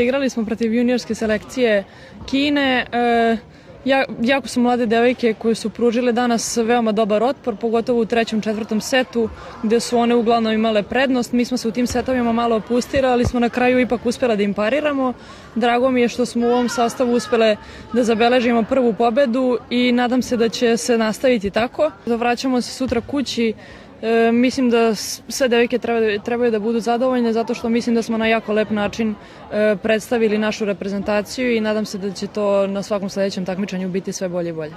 Igrali smo protiv juniorske selekcije Kine. Jako su mlade devojke koje su pružile danas veoma dobar otpor, pogotovo u trećem, četvrtom setu, gde su one uglavnom imale prednost. Mi smo se u tim setovima malo opustili, ali smo na kraju ipak uspjela da im pariramo. Drago mi je što smo u ovom sastavu uspjele da zabeležimo prvu pobedu i nadam se da će se nastaviti tako. Vraćamo se sutra kući. Mislim da sve devojke trebaju da budu zadovoljne zato što mislim da smo na jako lep način predstavili našu reprezentaciju i nadam se da će to na svakom sledećem takmičenju biti sve bolje i bolje.